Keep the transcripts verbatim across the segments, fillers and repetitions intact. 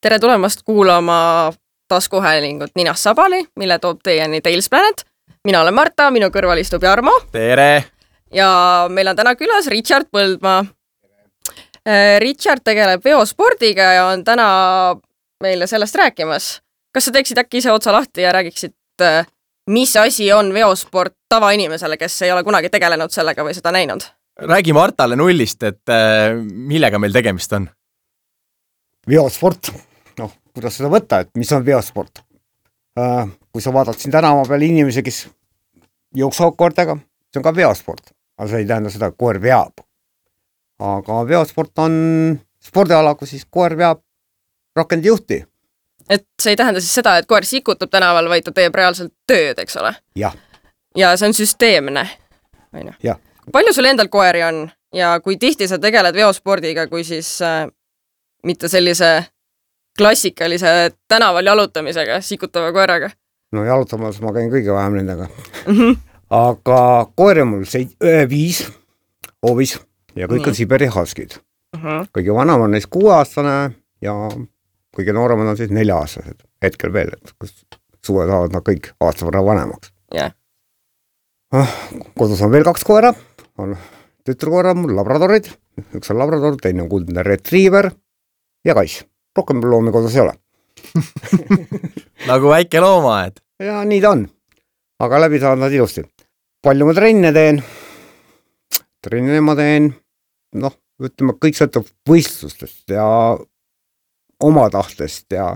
Tere tulemast kuulama taskuhäälingut Ninast Sabali, mille toob teieni Tails Planet. Mina olen Marta, minu kõrval istub Jarmo. Tere! Ja meil on täna külas Richard Põldmaa. Richard tegeleb veospordiga ja on täna meile sellest rääkimas. Kas sa teeksid äkki ise otsa lahti ja räägiksid, mis asi on veosport tavainimesele, kes ei ole kunagi tegelenud sellega või seda näinud? Räägi Martale nullist, et millega meil tegemist on? Veosport. Noh, kuidas seda võtta, et mis on veosport? Kui sa vaatad siin tänava peal inimesi, kes jooksavad koertega, see on ka veosport. Aga see ei tähenda seda, et koer veab. Aga veosport on spordiala, kus siis koer veab rakendi juhti. Et see ei tähenda siis seda, et koer sikutab tänaval, vaid ta teeb reaalselt tööd, eks ole? Jah. Ja see on süsteemne. Jah. Palju sul endal koeri on ja kui tihti sa tegeled veospordiga, kui siis äh, mitte sellise klassikalise tänaval jalutamisega, sikutava koeraga? No jalutamas ma käin kõige vähem nendega. Mm-hmm. Aga koeri on mul see viis hoovis ja kõik mm. on Siberi Huskid. Mm-hmm. Kõige vanem on neist kuueaastane ja kõige nooremad on siis nelja-aastased hetkel veel, et kus suve saavad nad kõik aasta võrra vanemaks. Yeah. Kodus on veel kaks koera, on tütrukoera mul labradorid, üks on labrador, teine on kuldne retriever ja kass. Rohkem loomi kodus ei ole. Nagu väike loomaaed. Ja nii ta on, aga läbi saavad nad ilusti. Palju ma trenne teen, trenne ma teen, noh, ütleme, kõik sõltub võistlustest ja oma tahtest ja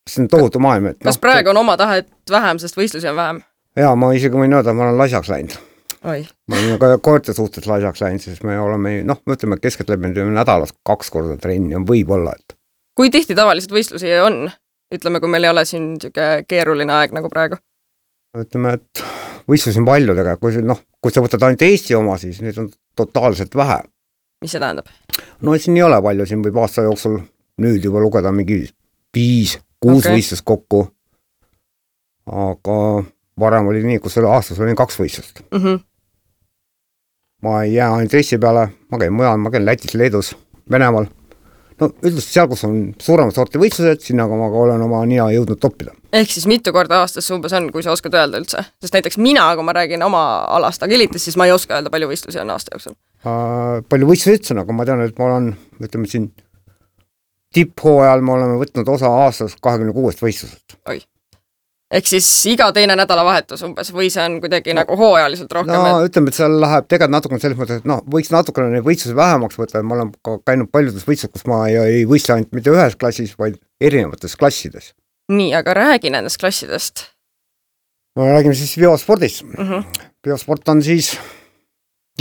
see on tohutu maailm. Et, kas no, praegu on oma tahet vähem, sest võistlusi on vähem? Jaa, ma isegi võin öelda, et ma olen laisaks läinud. Oi. Ma olen ka koerte suhtes laisaks läinud, siis me oleme, noh, me ütleme, keskeltläbi nädalas kaks korda trenni on võib-olla. Et... Kui tihti tavaliselt võistlusi on? Ütleme, kui meil ei ole siin keeruline aeg nagu praegu. Ütleme, et võistlusi on palju tega. Kui, noh, kui sa võtad ainult Eesti oma, siis neid on totaalselt vähe. Mis see tähendab? No siin ei ole palju, siin võib aasta jooksul nüüd juba lugeda mingi viis, kuus okay. võistlust kokku. Aga varem oli nii, kus aastas oli kaks võistlust. Mm-hmm. Ma ei jää ainult Eesti peale, ma käin mujal, ma käin Lätis, Leedus, Venemaal. No üldiselt seal, kus on suuremad sorti võistlused, sinna aga ma olen oma nina jõudnud toppida. Ehk siis mitu korda aastas umbes on, kui sa oskad öelda üldse? Sest näiteks mina, kui ma räägin oma alast agilitis, siis ma ei oska öelda, palju võistlusi on aasta jooksul. Uh, palju võistlusi ütlesin, aga ma tean, et ma olen, ütleme siin, tipphooajal me oleme võtnud osa aastas kahekümne kuuest võistlusest. Oi. Ehk siis iga teine nädalavahetus umbes või see on kuidagi no, nagu hooajaliselt rohkem? No et... ütleme, et seal läheb tegelikult natukene selles mõttes, et no, võiks natukene neid võistlusi vähemaks võtta, et ma olen ka käinud paljudes võistlused, kus ma ei, ei võistle ainult mitte ühes klassis, vaid erinevates klassides. Nii, aga räägi nendest klassidest. No räägime siis veospordist. Uh-huh. Veosport on siis,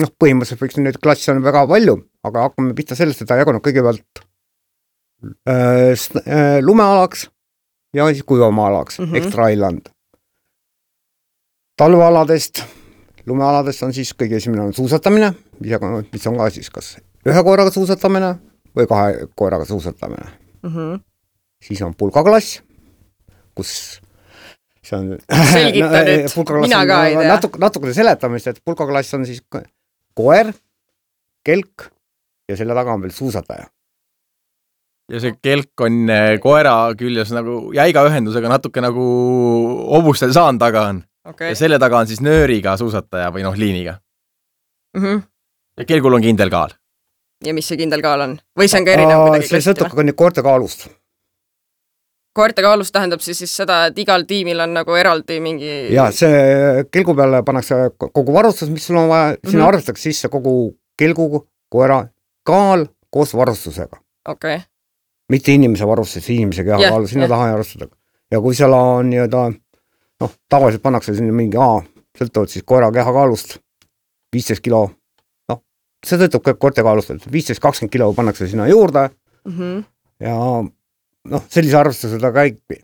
noh, põhimõtteliselt võiks neid klassi on väga palju, aga hakkame pihta sellest, et ta jaguneb kõigepealt äh, äh, lumealaks ja siis kuivamaalaks, mm-hmm. Extra Island. Talvealadest, lumealadest on siis kõige esimene on suusatamine, mis on ka siis kas ühe koeraga suusatamine või kahe koeraga suusatamine. Mm-hmm. Siis on pulkaklass, kus see on... Selgita nüüd, mina ka ei tea. Natuk, natukene seletamist, et pulkaklass on siis koer, kelk ja selle taga on veel suusataja. Ja see kelk on koera küljes nagu jäiga ühendusega natuke nagu obustel saan taga on. Okay. Ja selle taga on siis nööriga suusataja või noh liiniga. Mm-hmm. Ja kelgul on kindel kaal. Ja mis see kindel kaal on? Või see on ka erinev kuidagi? See sõltub ka koerte kaalust. Koerte kaalust tähendab siis, siis seda, et igal tiimil on nagu eraldi mingi... Ja see kelgu peale pannakse kogu varustus, mis sul on vaja, mm-hmm. sinna arvestaks sisse kogu kelgu, koera kaal koos varustusega. Okei. Okay. Mitte inimese varustus, inimese kehakaalu, yeah, sinna yeah. taha ei arvestada. Ja kui seal on nii-öelda, noh, tavaliselt pannakse sinna mingi A, sõltavad siis koera kehakaalust viisteist kilo, noh, see sõltub kõik koerte kaalust, et viisteist kakskümmend kilo pannakse sinna juurde mm-hmm. ja noh, sellise arvestuse ta käibi.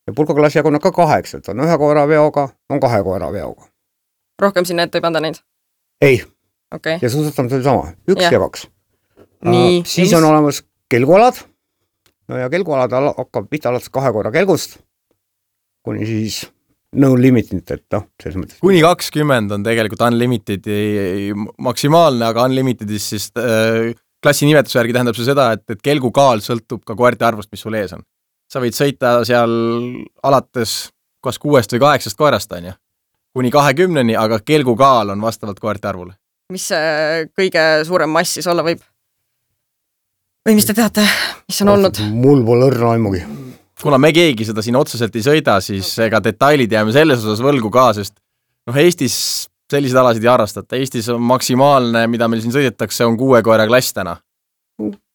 Ja pulkaklass jaguneb ka kaheks, et on ühe koera veoga, on kahe koera veoga. Rohkem sinna ette ei panda neid? Ei. Okay. Ja suusatamise oli sama, üks yeah. ja kaks. Nii, uh, siis mis... on olemas kelgualad. No ja kelgualad hakkab pihta alates kahe koera kelgust, kuni siis no limited, et noh, selles mõttes. Kuni kakskümmend on tegelikult unlimited maksimaalne, aga unlimitedis siis äh, klassi nimetuse järgi tähendab see seda, et, et kelgu kaal sõltub ka koerte arvust, mis sul ees on. Sa võid sõita seal alates kas kuuest või kaheksast koerast, on ju, kuni kahekümneni, aga kelgu kaal on vastavalt koerte arvule. Mis see kõige suurem mass siis olla võib? Või mis te teate, mis on olnud? Mul pole õrna aimugi. Kuna me keegi seda siin otseselt ei sõida, siis ega detailid jääme selles osas võlgu ka, sest noh, Eestis sellised alasid ei harrastata. Eestis on maksimaalne, mida meil siin sõidetakse, on kuue koera klass täna.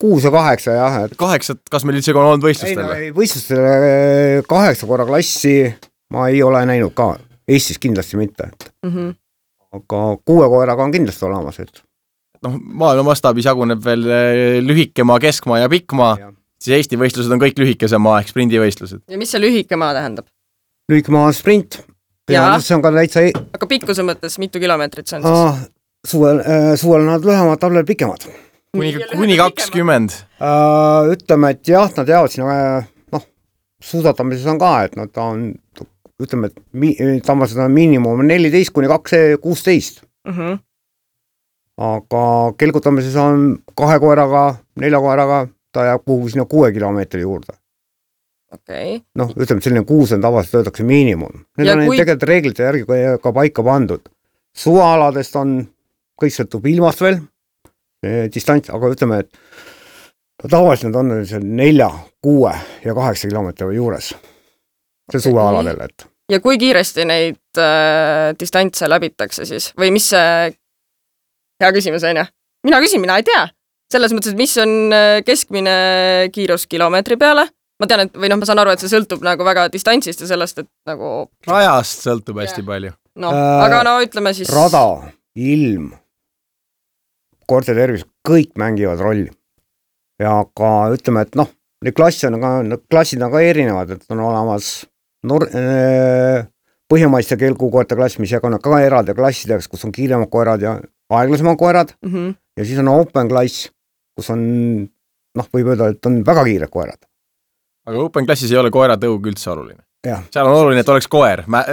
Kuus ja kaheksa, jah. Et... Kaheksat, kas meil üldse on olnud võistlustel? Ei, no, võistlustele kaheksa koera klassi ma ei ole näinud ka. Eestis kindlasti mitte. Mm-hmm. Aga kuue koeraga on kindlasti olemas. Et... noh, maailma mastaabis jaguneb veel lühikemaa, keskmaa ja pikkmaa, ja. Siis Eesti võistlused on kõik lühikesemaa ehk sprindivõistlused. Ja mis see lühikemaa tähendab? Lühikemaa on sprint. Ja, ja see on ka täitsa... Aga pikkuse mõttes mitu kilomeetrit see on siis? Ah, suvel, äh, suvel nad lühemad, talvel pikemad. Kuni, kuni kakskümmend. Uh, ütleme, et jah, nad jäävad sinna, noh, suusatamises on ka, et nad on, ütleme, et mi, tavaliselt on miinimum neliteist kuni kuusteist. Uh-huh. Aga kelgutamises on kahe koeraga, nelja koeraga, ta jääb kuhu sinna kuue kilomeetri juurde. Okay. Noh, ütleme, et selline kuus on tavaliselt töötakse miinimum. Need ja on kui... tegelikult reeglite järgi ka paika pandud. Suvaaladest on, kõik sõltub ilmast veel, distants, aga ütleme, et tavaliselt on seal nelja, kuue ja kaheksa kilomeetri juures. See okay. Suvealadel, et. Ja kui kiiresti neid äh, distantse läbitakse siis? Või mis see hea küsimus on, ja? Mina küsin, mina ei tea. Selles mõttes, et mis on keskmine kiirus kilomeetri peale? Ma tean, et, või noh, ma saan aru, et see sõltub nagu väga distantsist ja sellest, et nagu... Rajast sõltub hästi ja. Palju. No, äh, aga no ütleme siis... Rada, ilm, koerte tervis, kõik mängivad rolli. Ja ka ütleme, et noh, need klassi on ka, klassid on ka erinevad, et on olemas nor-, äh, põhjamaiste kelgukoerte klass, mis jaganud ka eraldi klassideks, kus on kiiremad koerad ja aeglasemad koerad. Mm-hmm. Ja siis on open klass, kus on, noh, võib öelda, et on väga kiired koerad. Aga open klassis ei ole koera tõug üldse oluline. Ja. Seal on oluline, et oleks koer mä-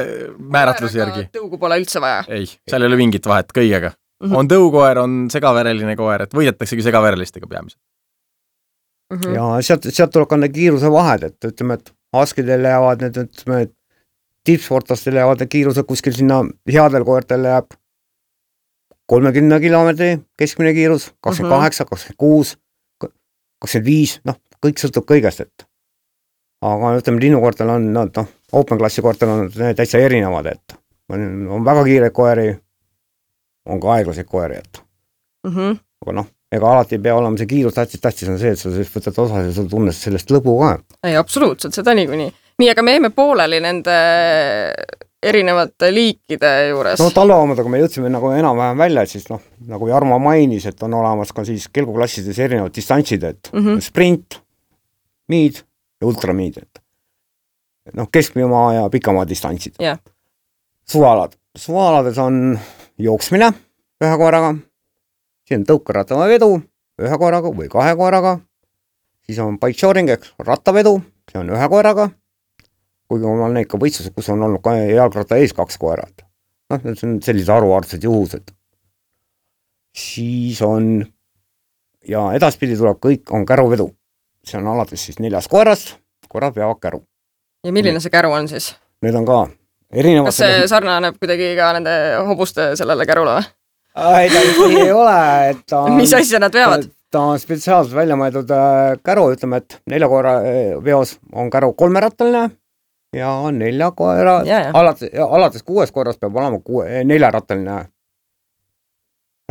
määratluse järgi. Tõugu pole üldse vaja. Ei, seal ei ole mingit vahet kõigega. Mm-hmm. On tõukoer, on segavereline koer, et võidetaksegi segaverelistega peamiselt. Mm-hmm. Ja sealt, sealt tuleb ka need kiiruse vahed, et ütleme, et askidel jäävad need, ütleme, et tippsportlastel jäävad need kiirused kuskil sinna headel koertel jääb kolmekümne kilomeetri keskmine kiirus, kakskümmend kaheksa, kakskümmend kuus, kakskümmend viis, noh, kõik sõltub kõigest, et aga ütleme, linnukoortel on, no, no, open klassi koortel on täitsa erinevad, et on, on väga kiireid koeri, on ka aeglaseid koeri, et mm-hmm. aga noh, ega alati ei pea olema see kiirus tähtis, tähtis on see, et sa võtad osa ja sul tunnes sellest lõbu ka. Ei, absoluutselt, seda niikuinii. Nii, aga me jäime pooleli nende erinevate liikide juures. No talveomadega me jõudsime nagu enam-vähem välja, et siis noh, nagu Jarmo mainis, et on olemas ka siis kelguklassides erinevad distantsid, et mm-hmm. sprint, miid ja ultramiid, et noh, keskmimaa ja pikamaa distantsid. Yeah. Suvaalad. Suvaalades on jooksmine ühe koeraga, siis on tõukeratama vedu ühe koeraga või kahe koeraga, siis on bike shoring, eks rattavedu, see on ühe koeraga, kuigi on neid ka võistlused, kus on olnud ka jalgratta ees kaks koerad. Noh, see on sellised aruardsed juhused. Siis on, ja edaspidi tuleb kõik, on käruvedu. See on alates siis neljas koerast, koerad peavad käru. Ja milline see käru on siis? Need on ka erinevad... Kas see sarnaneb kuidagi ka nende hobuste sellele kärule või? Ei, ta ei ole, et ta on... Mis asja nad veavad? Ta on spetsiaalselt välja mõeldud käru, ütleme, et nelja koera veos on käru kolmerattaline ja nelja koera, ja, ja. Alates, alates kuues koeras peab olema kuue, neljarattaline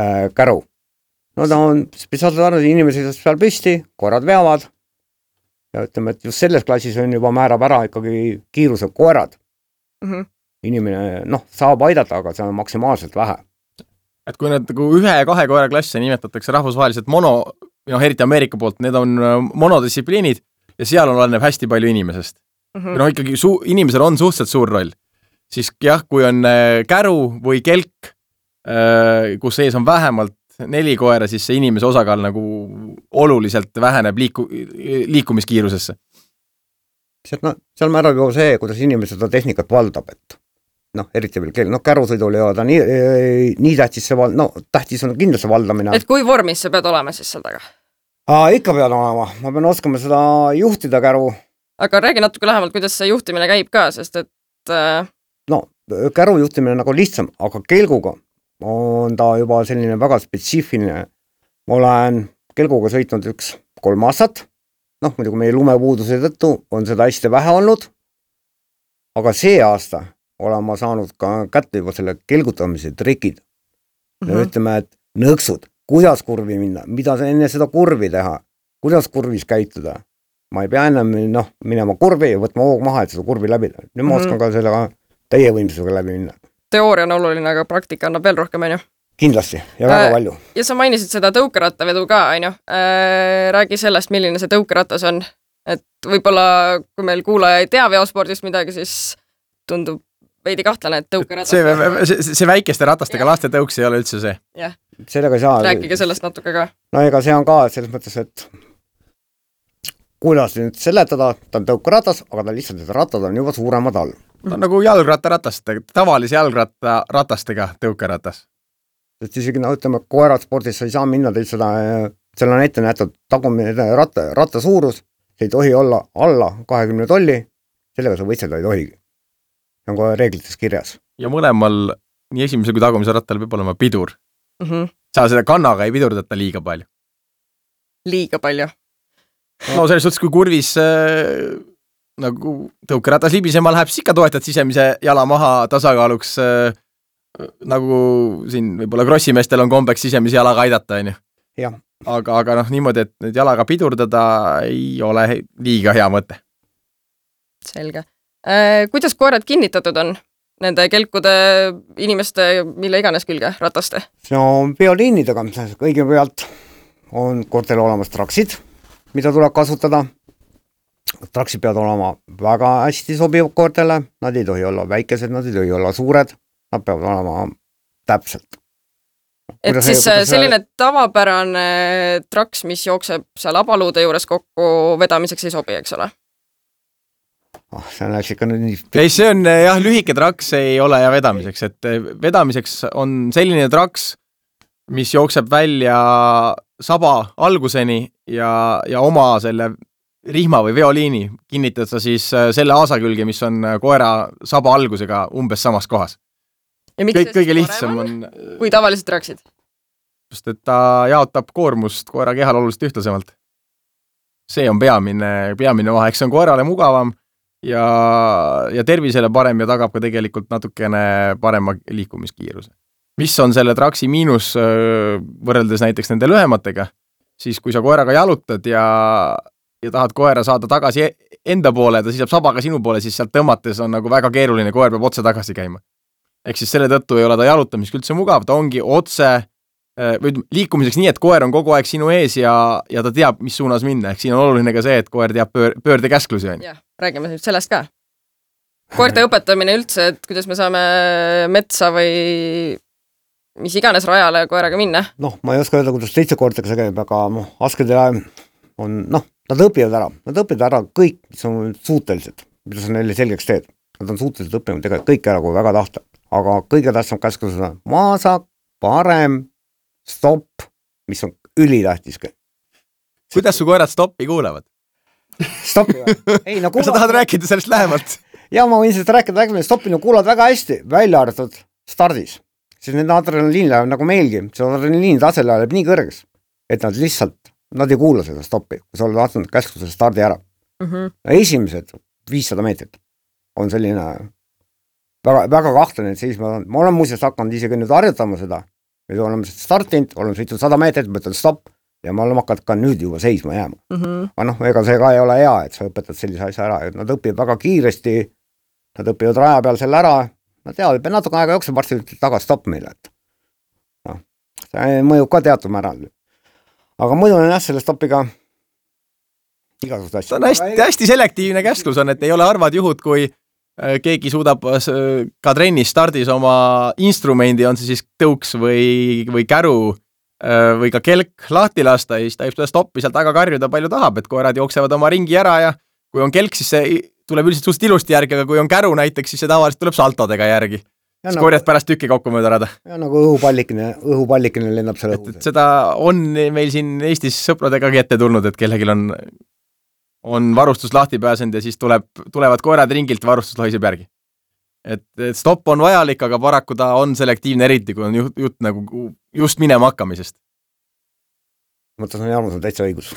äh, käru. No ta on spetsiaalselt arvatud, inimesed seal püsti, koerad veavad ja ütleme, et just selles klassis on juba määrab ära ikkagi kiiruse koerad. Mm-hmm. Inimene, noh, saab aidata, aga see on maksimaalselt vähe. Et kui need ühe ja kahe koera klasse nimetatakse rahvusvaheliselt mono, noh, eriti Ameerika poolt, need on monodistsipliinid ja seal on oleneb hästi palju inimesest. Mm-hmm. Ja noh, ikkagi su- inimesel on suhteliselt suur roll. Siis jah, kui on käru või kelk, kus ees on vähemalt neli koera, siis see inimese osakaal nagu oluliselt väheneb liiku, liikumiskiirusesse. No, seal määrab ju see, kuidas inimesed seda tehnikat valdab, et noh, eriti veel kell, noh, kärusõidul ei ole ta nii, nii tähtis see val-, no tähtis on kindlasti valdamine. Et kui vormis sa pead olema siis seal taga? Aa, ikka pead olema, ma pean oskama seda juhtida käru. Aga räägi natuke lähemalt, kuidas see juhtimine käib ka, sest et... Äh... No, käru juhtimine on nagu lihtsam, aga kelguga on ta juba selline väga spetsiifiline. Ma olen kelguga sõitnud üks kolm aastat, noh, muidugi meie lumepuuduse tõttu on seda hästi vähe olnud, aga see aasta olen ma saanud ka kätte juba selle kelgutamise trikid. Mm -hmm. Ütleme, et nõksud, kuidas kurvi minna, mida enne seda kurvi teha, kuidas kurvis käituda. Ma ei pea ennem noh, minema kurvi ja võtma hoog maha, et seda kurvi läbi. Nüüd ma mm -hmm. oskan ka sellega teie võimsusega läbi minna. Teooria on oluline, aga praktika annab veel rohkem, on ju? Kindlasti ja väga äh, palju. Ja sa mainisid seda tõukerattavedu ka, on ju? Äh, räägi sellest, milline see tõukeratas on. Et võib-olla, kui meil kuulaja ei tea veospordist midagi, siis tundub veidi kahtlane, et tõukeratas... See, see, see väikeste ratastega ja. Laste tõuks ei ole üldse see. Jah. Sellega ei saa... Rääkige sellest natuke ka. No ega see on ka selles mõttes, et kuidas nüüd seletada, ta on tõukeratas, aga ta lihtsalt, et ratad on juba suuremad all. Ta on nagu jalgrattaratastega, tavalise jalgrattaratastega tõukeratas. Et isegi, no ütleme, koerad spordis sa ei saa minna teil seda, seal on ette näetud tagumine ratta, ratta suurus, see ei tohi olla alla kahekümne tolli, sellega sa võitselda ei tohigi. See on kohe reeglites kirjas. Ja mõlemal, nii esimese kui tagumise rattal peab olema pidur. Mm -hmm. Sa seda kannaga ei pidurdata liiga palju. Liiga palju? No selles suhtes, kui kurvis äh, nagu tõukeratas libisema läheb, siis ikka toetad sisemise jala maha tasakaaluks äh, nagu siin võib-olla krossimeestel on kombeks sisemise jalaga aidata, on ju. Jah. Aga, aga noh, niimoodi, et nüüd jalaga pidurdada ei ole liiga hea mõte. Selge. Äh, kuidas koerad kinnitatud on? Nende kelkude inimeste, mille iganes külge, rataste? See on bioliinidega, kõigepealt on koertel olemas traksid, mida tuleb kasutada. Traksid peavad olema väga hästi sobivad koertele, nad ei tohi olla väikesed, nad ei tohi olla suured, nad peavad olema täpselt. Et kuidas siis see, selline see... tavapärane traks, mis jookseb seal abaluude juures kokku vedamiseks ei sobi, eks ole? Oh, see läks ikka nüüd nii... Ei, see on jah, lühike traks ei ole ja vedamiseks, et vedamiseks on selline traks, mis jookseb välja saba alguseni ja, ja oma selle rihma või veoliini kinnitada siis selle aasa külge, mis on koera saba algusega umbes samas kohas. Kõik, kõige lihtsam on... Kui tavaliselt traksid? Just, et ta jaotab koormust koera kehal oluliselt ühtlasemalt. See on peamine, peamine vahe, eks see on koerale mugavam ja, ja tervisele parem ja tagab ka tegelikult natukene parema liikumiskiiruse. Mis on selle traksi miinus võrreldes näiteks nende lühematega, siis kui sa koeraga jalutad ja, ja tahad koera saada tagasi enda poole, ta seisab sabaga sinu poole, siis sealt tõmmates on nagu väga keeruline, koer peab otse tagasi käima. Ehk siis selle tõttu ei ole ta jalutamiseks üldse mugav, ta ongi otse või liikumiseks nii, et koer on kogu aeg sinu ees ja, ja ta teab, mis suunas minna. Ehk siin on oluline ka see, et koer teab pöör, pöörde käsklusi. Jah, räägime nüüd sellest ka. Koerte õpetamine üldse, et kuidas me saame metsa või mis iganes rajale koeraga minna? Noh, ma ei oska öelda, kuidas teiste koertega see käib, aga noh, askedele on, noh, nad õpivad ära. Nad õpivad ära kõik, mis on suutelised, mida sa neile selgeks teed. Nad on suutelised õppima tegelikult kõik ära, kui väga tahta. Aga kõige tähtsam käsku seda maasak, parem, stopp, mis on ülitähtis. Kuidas su koerad stoppi kuulevad? Stoppi või? Ei, no kuulavad... Kas sa tahad rääkida sellest lähemalt? Ja ma võin sellest rääkida, rääkida, stoppi no kuulavad väga hästi, välja arvatud stardis. Siis nende adrenaliin läheb nagu meilgi, see adrenaliin tase läheb nii kõrges, et nad lihtsalt, nad ei kuula seda stoppi, kui sa oled vaatanud käsku selle stardi ära. Mm -hmm. Esimesed viissada meetrit on selline väga, väga kahtlane, et seisma, ma olen muuseas hakanud isegi nüüd harjutama seda, me oleme startinud, oleme sõitnud sada meetrit, mõtlen stopp ja me oleme hakanud ka nüüd juba seisma jääma. Mm -hmm. aga noh, ega see ka ei ole hea, et sa õpetad sellise asja ära, et nad õpivad väga kiiresti, nad õpivad raja peal selle ära, nad teavad, et natuke aega jookseb, varsti tagasi stopp meile, et noh, see mõjub ka teatud määral. Aga muidu on jah, selle stopiga igasugust asja. See on hästi, hästi selektiivne käsklus on, et ei ole harvad juhud, kui keegi suudab ka trennis stardis oma instrumendi, on see siis tõuks või, või käru või ka kelk lahti lasta ja siis ta võib seda stoppi sealt taga karjuda palju tahab, et koerad jooksevad oma ringi ära ja kui on kelk, siis see tuleb üldiselt suht ilusti järgi, aga kui on käru näiteks, siis see tavaliselt tuleb saltodega järgi. Siis nagu, korjad pärast tükki kokku mööda rada. Ja nagu õhupallikene, õhupallikene lennab selle õhus. Seda on meil siin Eestis sõpradegagi ette tulnud, et kellegil on, on varustus lahti pääsenud ja siis tuleb, tulevad koerad ringilt, varustus lohiseb järgi. Et, et stopp on vajalik, aga paraku ta on selektiivne, eriti kui on jutt, jutt nagu just minema hakkamisest. Mõttes on Jarmus on täitsa õigus.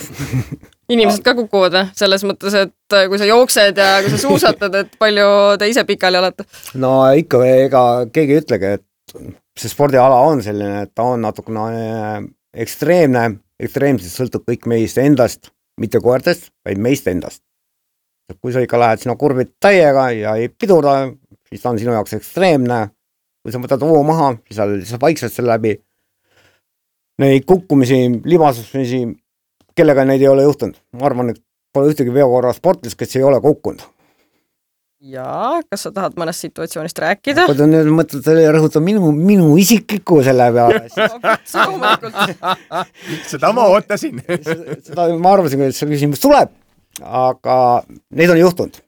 Inimesed ka kukuvad selles mõttes, et kui sa jooksed ja kui sa suusatad, et palju te ise pikali olete? No ikka ega keegi ei ütlegi, et see spordiala on selline, et ta on natukene ekstreemne, ekstreemselt sõltub kõik meist endast, mitte koertest, vaid meist endast. Kui sa ikka lähed sina kurvid täiega ja ei pidurda, siis ta on sinu jaoks ekstreemne. Kui sa võtad hoo maha, siis sa lihtsalt vaikselt selle läbi. Neid kukkumisi, libasusmisi, kellega neid ei ole juhtunud. Ma arvan, et pole ühtegi veokorra sportlis, kes ei ole kukkunud. Jaa, kas sa tahad mõnest situatsioonist rääkida? Kui ta nüüd mõtled, et rõhutab minu, minu isikliku selle peale. Seda ma ootasin. Seda ma arvasin, et see küsimus tuleb, aga neid on juhtunud.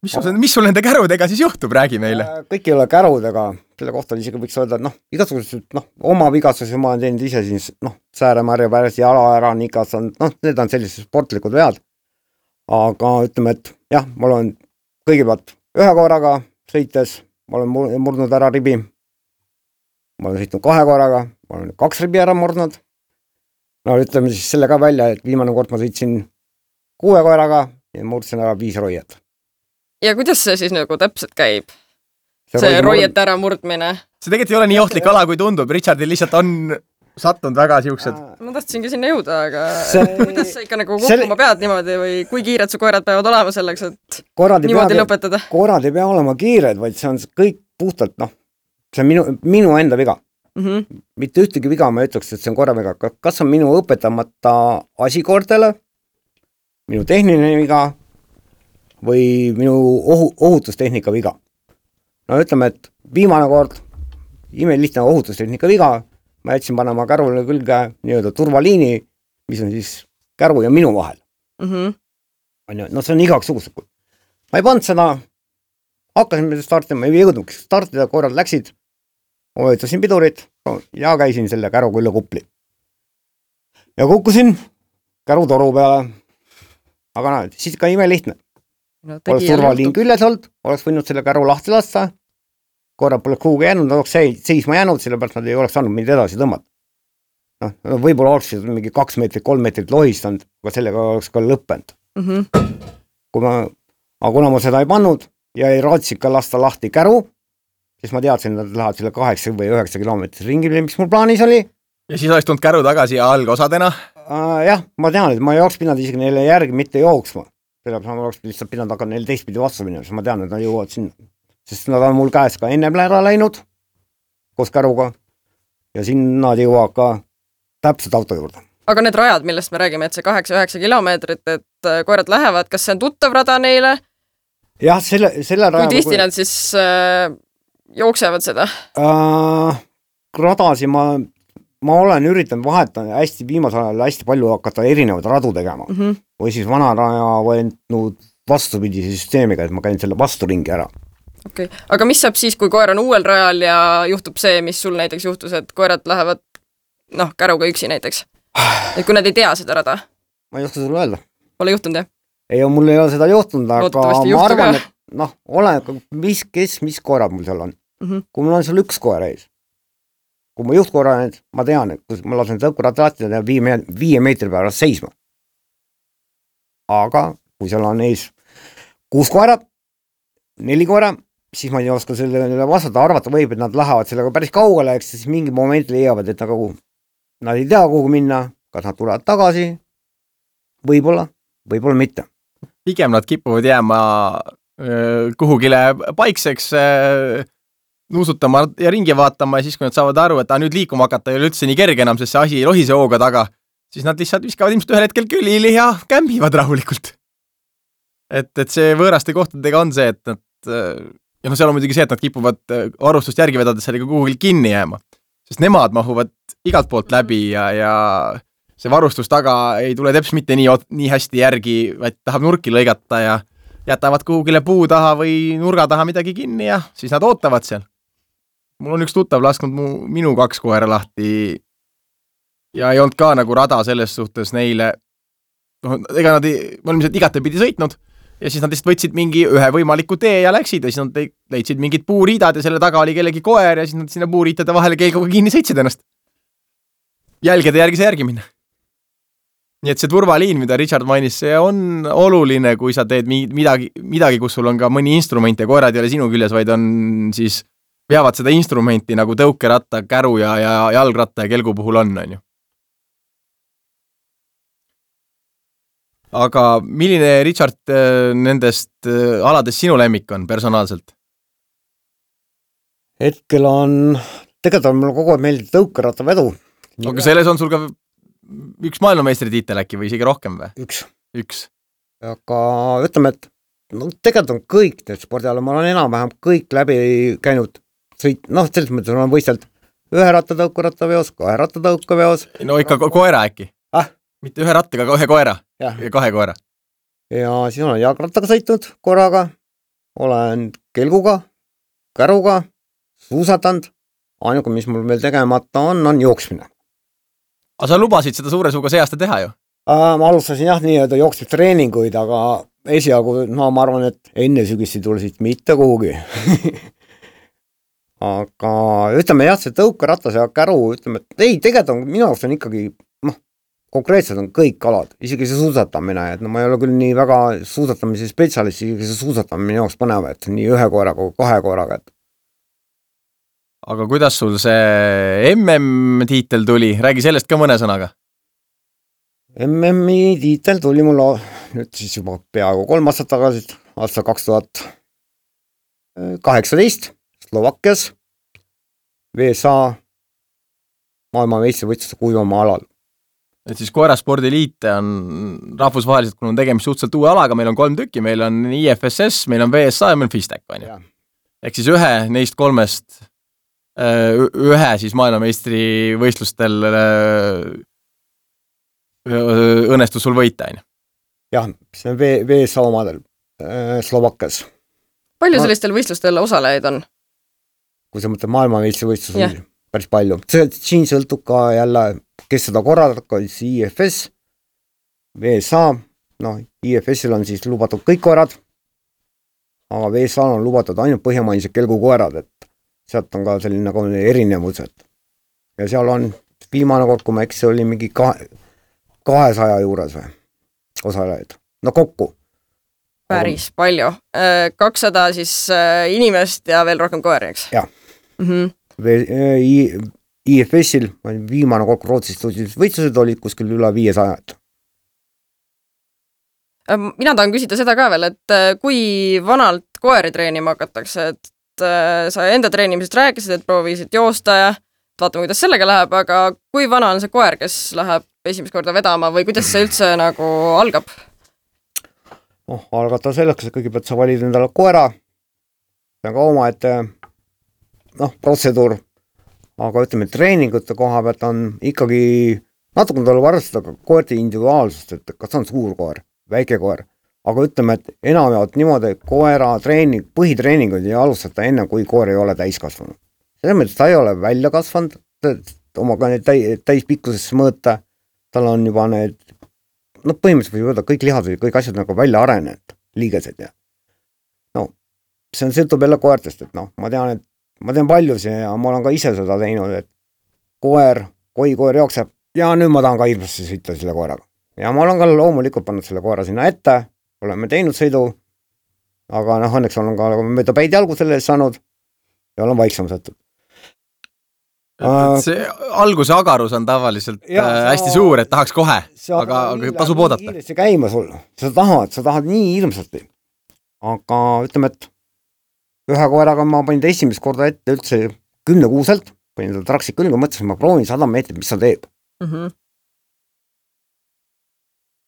Mis sul, mis sul nende kärudega siis juhtub, räägi meile? Kõik ei ole kärudega, selle kohta isegi võiks öelda, et noh, igasugused, noh, oma vigastusi ma olen teinud ise siis, noh, sääremärja pärast jala ära, nikas on, noh, need on sellised sportlikud vead. Aga ütleme, et jah, mul on kõigepealt ühe korraga sõites, ma olen murdnud ära ribi, ma olen sõitnud kahe korraga, ma olen kaks ribi ära murdnud. No ütleme siis selle ka välja, et viimane kord ma sõitsin kuue korraga ja murdsin ära viis roiet. Ja kuidas see siis nagu täpselt käib? See, see roiet ära murdmine? See tegelikult ei ole nii ohtlik ala, kui tundub. Richardil lihtsalt on sattunud väga siuksed. Ma tahtsingi sinna jõuda, aga see... kuidas sa ikka nagu kukkuma selle... pead niimoodi või kui kiired su koerad peavad olema selleks, et korrad niimoodi pead, lõpetada? Koerad ei pea olema kiired, vaid see on kõik puhtalt, noh, see on minu, minu enda viga. Mm-hmm. Mitte ühtegi viga ma ütleks, et see on korra viga. Kas on minu õpetamata asi koortele, minu tehniline viga, või minu ohu, ohutustehnika viga. No ütleme, et viimane kord, ime lihtne ohutustehnika viga, ma jätsin panema kärule külge nii-öelda turvaliini, mis on siis käru ja minu vahel. Mm-hmm. No see on igaks suguselt. Ma ei pannud seda, hakkasin startima, ei jõudnud startida, korrad läksid, ma võitasin pidurit ja käisin selle käru külla kupli. Ja kukkusin käru toru peale, aga no, siis ka ime lihtne. No, oleks turvaliin külles olnud, oleks võinud selle käru lahti lasta, korra pole kuhugi jäänud, oleks seisma jäänud, sellepärast nad ei oleks saanud mind edasi tõmmata. No, võib-olla oleks mingi kaks meetrit, kolm meetrit lohistanud, aga sellega oleks ka lõppenud. Mm-hmm. Kui ma, aga kuna ma seda ei pannud ja ei raatsinud ka lasta lahti käru, siis ma teadsin, et nad lähevad selle kaheksa või üheksa kilomeetris ringile, mis mul plaanis oli. Ja siis oleks tulnud käru tagasi algosadena? Uh, jah, ma tean, et ma ei oleks pidanud isegi neile järgi mitte jooksma. Sellepärast ma oleks lihtsalt pidanud hakka neil teistpidi vastu minna, siis ma tean, et nad jõuavad sinna. Sest nad on mul käes ka ennem ära läinud koos käruga ja siin nad jõuavad ka täpselt auto juurde. Aga need rajad, millest me räägime, et see kaheksa üheksa kilomeetrit, et koerad lähevad, kas see on tuttav rada neile? Jah, selle, selle raja... Kui tihti kui... nad siis äh, jooksevad seda? Äh, radasi ma... Ma olen üritanud vahetada hästi viimasel ajal hästi palju hakata erinevaid radu tegema. Mm-hmm. Või siis vana raja võetud vastupidi süsteemiga, et ma käin selle vasturingi ära. Okay. Aga mis saab siis, kui koer on uuel rajal ja juhtub see, mis sul näiteks juhtus, et koerad lähevad noh, käruga üksi näiteks? Et kui nad ei tea seda rada? Ma ei oska sulle öelda. Pole juhtunud, jah? Ei, mul ei ole seda juhtunud, aga ma arvan, et noh, ole, mis, kes, mis koerad mul seal on. Mm-hmm. Kui mul on seal üks koer ees, kui ma juhtkorra nüüd, ma tean, et kui ma lasen tõukurat lahtida ja viie, viie meetri pärast seisma. Aga kui seal on ees kuus koera, neli koera, siis ma ei oska selle vastata, arvata võib, et nad lähevad sellega päris kaugele, eks siis mingi moment leiavad, et nagu, nad ei tea kuhu minna, kas nad tulevad tagasi, võib-olla, võib-olla mitte. Pigem nad kipuvad jääma äh, kuhugile paikseks äh, nuusutama ja ringi vaatama ja siis, kui nad saavad aru, et ta nüüd liikuma hakata ei ole üldse nii kerge enam, sest see asi lohise hooga taga, siis nad lihtsalt viskavad ilmselt ühel hetkel külili ja kämbivad rahulikult. Et, et see võõraste kohtadega on see, et nad, ja no seal on muidugi see, et nad kipuvad varustust järgi vedades sellega kuhugil kinni jääma, sest nemad mahuvad igalt poolt läbi ja, ja see varustus taga ei tule teps mitte nii, nii hästi järgi, vaid tahab nurki lõigata ja jätavad kuhugile puu taha või nurga taha midagi kinni ja siis nad ootavad seal. Mul on üks tuttav lasknud mu, minu kaks koera lahti ja ei olnud ka nagu rada selles suhtes neile, no, ega nad ei, me olime igate pidi sõitnud ja siis nad lihtsalt võtsid mingi ühe võimaliku tee ja läksid ja siis nad leidsid mingid puuriidad ja selle taga oli kellegi koer ja siis nad sinna puuriitade vahele kelguga kinni sõitsid ennast. Jälgede järgi see järgi minna. Nii et see turvaliin, mida Richard mainis, see on oluline, kui sa teed midagi, midagi, kus sul on ka mõni instrument ja koerad ei ole sinu küljes, vaid on siis veavad seda instrumenti nagu tõukeratta, käru ja, ja jalgratta ja kelgu puhul on, on ju. Aga milline, Richard, nendest aladest sinu lemmik on personaalselt? Hetkel on, tegelikult on mul kogu aeg meeldib tõukeratta vedu. Aga selles on sul ka üks maailmameistri tiitel äkki või isegi rohkem või? Üks. Üks. Aga ütleme, et no, tegelikult on kõik need spordiala, ma olen enam-vähem kõik läbi käinud sõit, noh, selles mõttes on võistelt ühe ratta tõukeratta veos, kahe ratta tõuka veos. No ikka ko koera äkki? Ah? Mitte ühe rattaga, aga ühe koera ja. ja kahe koera. Ja siis olen jalgrattaga sõitnud korraga, olen kelguga, käruga, suusatanud, ainuga, mis mul veel tegemata on, on jooksmine. Aga sa lubasid seda suure suuga see aasta teha ju? Äh, ma alustasin jah nii-öelda jooksmistreeninguid, aga esialgu, no ma arvan, et enne sügist ei tule siit mitte kuhugi. Aga ütleme jah, see tõukeratas ja käru, ütleme, et ei, tegelikult on, minu arust on ikkagi, noh, konkreetselt on kõik alad, isegi see suusatamine, et no ma ei ole küll nii väga suusatamise spetsialist, isegi see suusatamine jaoks paneb, et nii ühe koeraga kui kahe koeraga, et aga kuidas sul see M M-tiitel tuli? Räägi sellest ka mõne sõnaga. M M-i tiitel tuli mul nüüd siis juba peaaegu kolm aastat tagasi, aasta kaks tuhat kaheksateist Slovakkias V S A maailma meistrivõistluste kuivamaa alal. Et siis koeraspordiliite on rahvusvaheliselt, kui on tegemist suhteliselt uue alaga, meil on kolm tükki, meil on I F S S, meil on V S A ja meil on FISTEC. Ehk siis ühe neist kolmest ühe siis maailmameistri võistlustel õnnestus sul võita, on? Jah, see on V S A omadel Slovakkias. Palju sellistel võistlustel osalejaid on? Kui sa mõtled maailmameistri võistlus, yeah. Päris palju. Siin sõltub ka jälle, kes seda korraldab, siis I F S, V S A, noh, I F S-il on siis lubatud kõik koerad, aga V S A on lubatud ainult põhjamainised kelgukoerad, et sealt on ka selline nagu erinevused. Ja seal on viimane kord, kui ma eks oli mingi kahe, kahesaja juures või osalejaid. No kokku. Päris palju. kakssada siis inimest ja veel rohkem koeri, eks? Jah. Mm-hmm. I F S-il viimane kord Rootsist võistlused olid kuskil üle viiesajad. Mina tahan küsida seda ka veel, et kui vanalt koeri treenima hakatakse, et sa enda treenimisest rääkisid, et proovisid joosta ja vaatame, kuidas sellega läheb, aga kui vana on see koer, kes läheb esimest korda vedama või kuidas see üldse nagu algab? noh, algata selleks, et kõigepealt sa valid endale koera, see on ka oma, et noh, protseduur, aga ütleme, treeningute koha pealt on ikkagi natuke tuleb arvestada koerte individuaalsust, et kas on suur koer, väike koer, aga ütleme, et enam jaolt niimoodi koera treening, põhitreeningud ei alustata enne, kui koer ei ole täiskasvanud. Selles mõttes ta ei ole välja kasvanud, omaga need täispikkusesse mõõta, tal on juba need no põhimõtteliselt võib öelda kõik lihad või kõik asjad nagu välja arenenud, liigesed ja no, see on sõltub jälle koertest, et noh, ma tean, et ma tean paljusi ja ma olen ka ise seda teinud, et koer, kui koer jookseb ja nüüd ma tahan ka hirmsasti sõita selle koeraga. Ja ma olen ka loomulikult pannud selle koera sinna ette, oleme teinud sõidu, aga noh, õnneks olen ka mööda päid jalgu selle eest saanud ja olen vaiksam sõttud. See alguse agarus on tavaliselt ja, äh, hästi sa, suur, et tahaks kohe, aga, aga tasub oodata. See käima sul, sa tahad, sa tahad nii hirmsasti. Aga ütleme, et ühe koeraga ma panin ta esimest korda ette üldse kümne kuuselt, panin ta traksid külge, mõtlesin, ma proovin sada meetrit, mis ta teeb. Mm-hmm.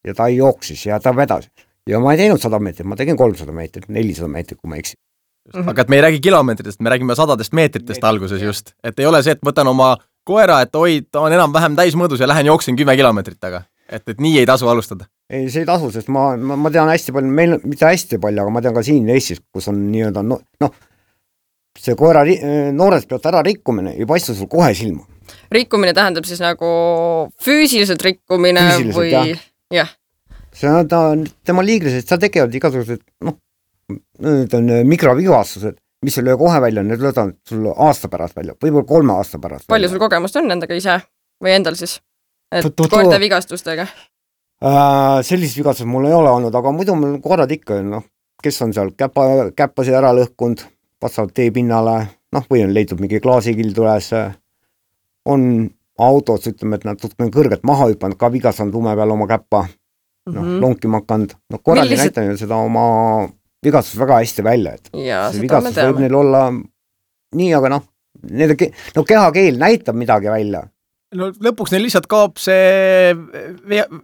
Ja ta jooksis ja ta vedas. Ja ma ei teinud sada meetrit, ma tegin kolmsada meetrit, nelisada meetrit, kui ma eksin. Mm-hmm. Aga et me ei räägi kilomeetritest, me räägime sadadest meetritest Meetrit, alguses just. Et ei ole see, et võtan oma koera, et oi, ta on enam vähem täismõõdus ja lähen jooksin kümme kilomeetrit taga. Et, et nii ei tasu alustada. ei, see ei tasu, sest ma, ma, ma tean hästi palju, meil mitte hästi palju, aga ma tean ka siin Eestis, kus on nii-öelda no, noh, see koera noorest pealt ära rikkumine ei paista sul kohe silma. Rikkumine tähendab siis nagu füüsiliselt rikkumine füüsiliselt, või jah. jah. See on ta, tema liigrised, seal tegevad igasugused noh, need on mikrovivastused, mis ei löö kohe välja, need löövad sul aasta pärast välja, võib-olla kolme aasta pärast palju välja. Sul kogemust on nendega ise või endal siis? Et koerte vigastustega? Äh, sellist vigastused mul ei ole olnud, aga muidu mul koerad ikka, noh, kes on seal käpa, käppasi ära lõhkunud, vastavalt tee pinnale, noh, või on leidnud mingi klaasikildu üles, on autos, ütleme, et nad tutkanud kõrgelt maha hüpanud, ka vigastanud lume peal oma käppa, noh, mm -hmm. lonkima hakanud, noh, korral ei Millised... näita seda oma vigastus väga hästi välja, et ja, see vigastus võib neil olla nii, aga noh, nende, no kehakeel näitab midagi välja. No lõpuks neil lihtsalt kaob see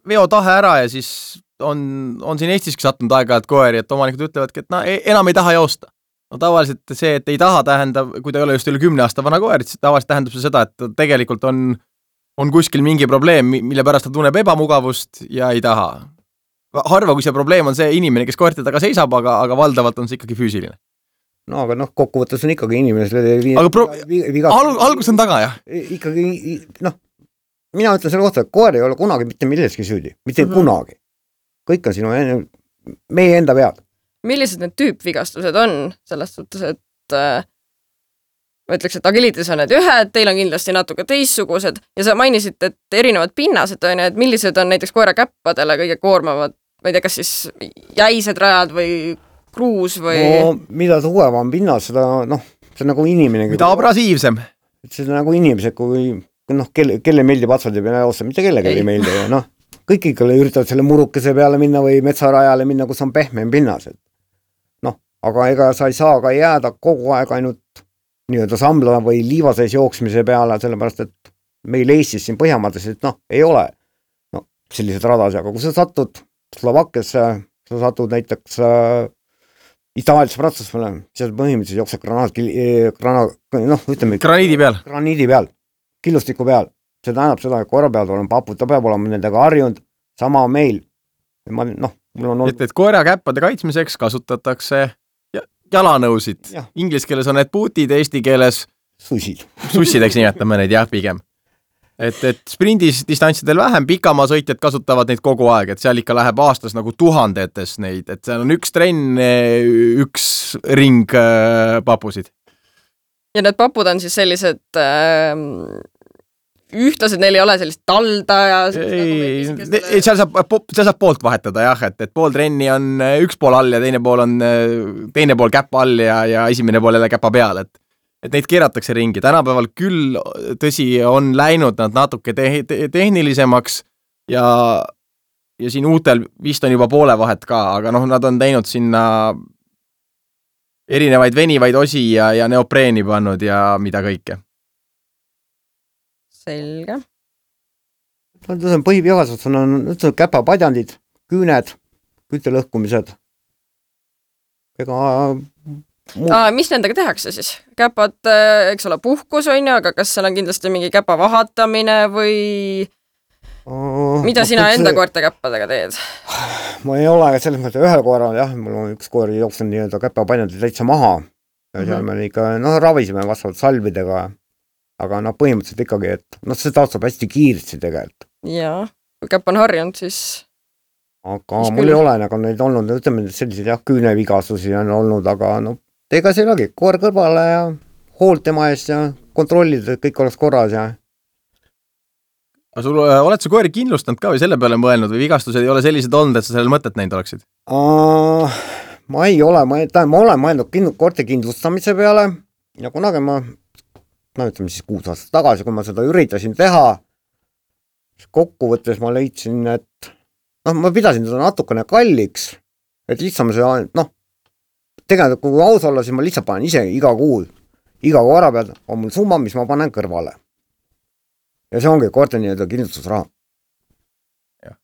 veotahe ära ja siis on, on siin Eestiski sattunud aega-ajalt koeri, et omanikud ütlevadki, et no, enam ei taha joosta. No tavaliselt see, et ei taha tähendab, kui ta ei ole just üle kümne aasta vana koer, siis tavaliselt tähendab see seda, et tegelikult on, on kuskil mingi probleem, mille pärast ta tunneb ebamugavust ja ei taha. Harva, kui see probleem on see inimene, kes koerte taga seisab, aga, aga valdavalt on see ikkagi füüsiline. No aga noh, kokkuvõttes on ikkagi inimesed aga pro... Al algus on taga, jah? Ikkagi, noh, mina ütlen selle kohta, et koer ei ole kunagi mitte milleski süüdi, mitte mm-hmm. kunagi. Kõik on sinu, meie enda peal. Millised need tüüpvigastused on selles suhtes, et äh, ma ütleks, et agilitis on need ühed, teil on kindlasti natuke teistsugused ja sa mainisid, et erinevad pinnased on, et millised on näiteks koera käppadele kõige koormavad, ma ei tea, kas siis jäised rajad või kruus või no, mida tugev on pinnas, seda noh, see on nagu inimene mida abrasiivsem see on nagu inimesed, kui noh, kelle, kelle meeldib atsad ja peale mitte kellegi ei, ei meeldi ja noh, kõik ikka üritavad selle murukese peale minna või metsarajale minna, kus on pehmem pinnas, et noh, aga ega sa ei saa ka jääda kogu aeg ainult nii-öelda sambla või liiva sees jooksmise peale, sellepärast, et meil Eestis siin Põhjamaades, et noh, ei ole no, sellised radasi, aga kui sa satud Slovakkiasse, sa satud näiteks äh, Itaaliasse, Prantsusmaale, siis põhimõtteliselt jookseb granaat, granaat, noh, ütleme graniidi peal, graniidi peal, killustiku peal, see tähendab seda, et koera peal olema papud, ta peab olema nendega harjunud, sama meil, ma, noh, mul on olnud... et, et koera käppade kaitsmiseks kasutatakse jalanõusid. Ja. Inglis keeles on need bootid, eesti keeles sussid. Sussideks nimetame neid, jah, pigem. Et, et sprindis distantsidel vähem, pikamaa sõitjad kasutavad neid kogu aeg, et seal ikka läheb aastas nagu tuhandetes neid, et seal on üks trenn, üks ring äh, papusid. Ja need papud on siis sellised äh, ühtlased, neil ei ole sellist talda ja... Ei, ei, seal saab, seal saab poolt vahetada, jah, et, et pool trenni on üks pool all ja teine pool on teine pool käpa all ja, ja esimene pool jälle käpa peal, et, et neid keeratakse ringi. Tänapäeval küll, tõsi, on läinud nad natuke te te tehnilisemaks ja, ja siin uutel vist on juba poole vahet ka, aga noh, nad on teinud sinna erinevaid venivaid osi ja, ja neopreeni pannud ja mida kõike. Selge. No, põhivigastus on, on käpapadjandid, küüned, kütelõhkumised. Ega... Aa, mis nendega tehakse siis? Käpad, eks ole, puhkus on ju, aga kas seal on kindlasti mingi käpa vahatamine või oh, mida sina enda see... koerte käppadega teed? Ma ei ole selles mõttes ühel koeral, jah, mul on üks koer jooksen nii-öelda käpapadjandid täitsa maha ja seal mm -hmm. me ikka, noh, ravisime vastavalt salvidega aga noh, põhimõtteliselt ikkagi, et noh, see taastub hästi kiiresti tegelikult. Jaa, kui käpp on harjunud, siis... Aga siis mul küll... ei ole nagu neid olnud, ütleme, sellised jah, küünevigasusi on olnud, aga noh, ega see olegi koer kõrvale ja hoolt tema eest ja kontrollida, et kõik oleks korras ja... Aga sul, oled sa koeri kindlustanud ka või selle peale mõelnud või vigastused ei ole sellised olnud, et sa sellel mõtet näinud oleksid? Uh, ma ei ole, ma, ta, ma olen mõelnud kind, koerte kindlustamise peale ja kunagi ma no ütleme siis kuus aastat tagasi, kui ma seda üritasin teha, kokkuvõttes ma leidsin, et noh, ma pidasin seda natukene kalliks, et lihtsam see, noh, tegelikult kui aus olla, siis ma lihtsalt panen ise iga kuu, iga koera peal on mul summa, mis ma panen kõrvale. Ja see ongi koerte nii-öelda kindlustusraha.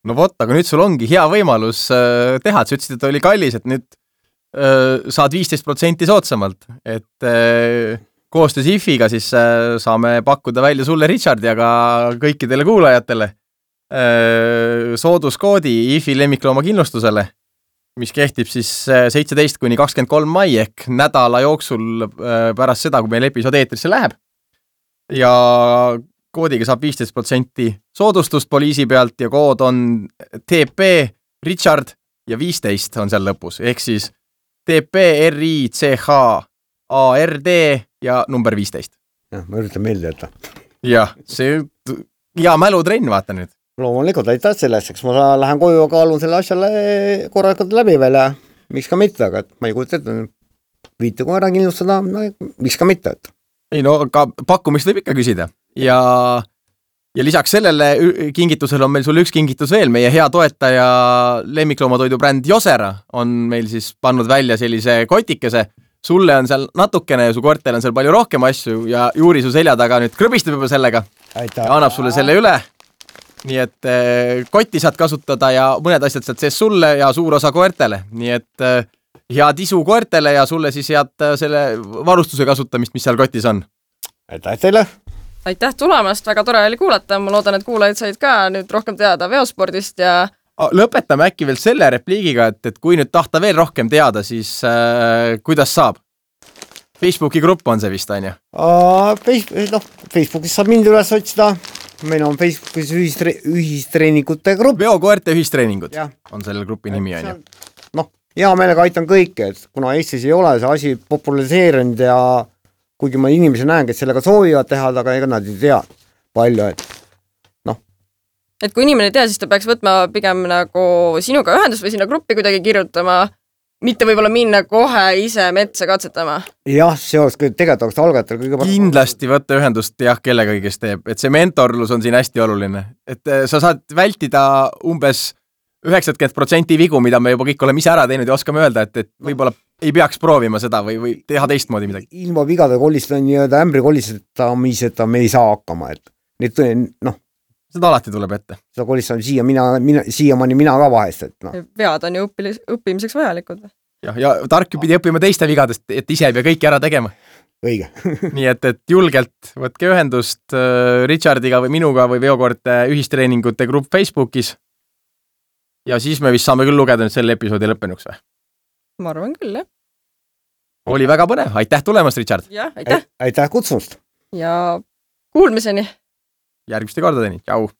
No vot, aga nüüd sul ongi hea võimalus äh, teha, et sa ütlesid, et oli kallis, et nüüd äh, saad viisteist protsenti soodsamalt, et äh, koostöös I F I-ga siis saame pakkuda välja sulle, Richard, ja ka kõikidele kuulajatele sooduskoodi I F I lemmiklooma kindlustusele, mis kehtib siis seitseteist kuni kakskümmend kolm mai ehk nädala jooksul pärast seda, kui meil episood eetrisse läheb. Ja koodiga saab viisteist protsenti soodustust poliisi pealt ja kood on T P Richard ja viisteist on seal lõpus, ehk siis T P R I C H A R D ja number viisteist. jah, ma üritan meelde jätta. jah, see hea mälutrenn, vaata nüüd. Loomulikult aitäh sellest, eks ma lähen koju ja kaalun selle asjale korralikult läbi veel ja miks ka mitte, aga et ma ei kujuta ette, viite koera kindlustada, no miks ka mitte, et. Ei no, ka pakkumist võib ikka küsida ja, ja lisaks sellele kingitusele on meil sul üks kingitus veel, meie hea toetaja lemmikloomatoidu bränd Josera on meil siis pannud välja sellise kotikese, sulle on seal natukene ja su koertel on seal palju rohkem asju ja Juuri su selja taga nüüd krõbistab juba sellega aitäh. Ja annab sulle selle üle. Nii et eh, kotti saad kasutada ja mõned asjad sealt sees sulle ja suur osa koertele. Nii et eh, head isu koertele ja sulle siis head selle varustuse kasutamist, mis seal kotis on. Aitäh teile! Aitäh tulemast, väga tore oli kuulata. Ma loodan, et kuulajad said ka nüüd rohkem teada veospordist ja... Lõpetame äkki veel selle repliigiga, et, et kui nüüd tahta veel rohkem teada, siis äh, kuidas saab? Facebooki grupp on see vist, on ju? Facebook, no, Facebookis saab mind üles otsida. Meil on Facebookis ühistre, ühistreeningute grupp. Veokoerte ühistreeningud ja. On selle grupi nimi, on ju. Noh, hea meelega aitan kõike, et kuna Eestis ei ole see asi populariseerinud ja kuigi ma inimesi näen, kes sellega soovivad teha, aga ega nad ei tea palju, et noh. Et kui inimene ei tea, siis ta peaks võtma pigem nagu sinuga ühendust või sinna gruppi kuidagi kirjutama, mitte võib-olla minna kohe ise metsa katsetama. Jah, see oleks tegelikult oleks algajatel kõige parem. Kindlasti võtta ühendust jah, kellega kes teeb, et see mentorlus on siin hästi oluline. Et sa saad vältida umbes üheksakümmend protsenti vigu, mida me juba kõik oleme ise ära teinud ja oskame öelda, et, et võib-olla ei peaks proovima seda või, või teha teistmoodi midagi. Ilma vigade kollista nii-öelda ämbri kollistamiseta me ei saa hakkama, et need noh, seda alati tuleb ette. Seda kolistan siia, mina, mina, siiamaani mina ka vahest. Et, no. Vead on ju õppilis, õppimiseks vajalikud. Ja, ja tark pidi õppima teiste vigadest, et ise ei pea kõiki ära tegema. Õige. Nii et, et julgelt võtke ühendust Richardiga või minuga või veokoorte ühistreeningute grupp Facebookis. Ja siis me vist saame küll lugeda nüüd selle episoodi lõppenuks või? Ma arvan küll, jah. Oli väga põnev. Aitäh tulemast, Richard. Ja, aitäh. Aitäh kutsumust. Ja kuulmiseni. Järgmiste kordadeni. Tšau.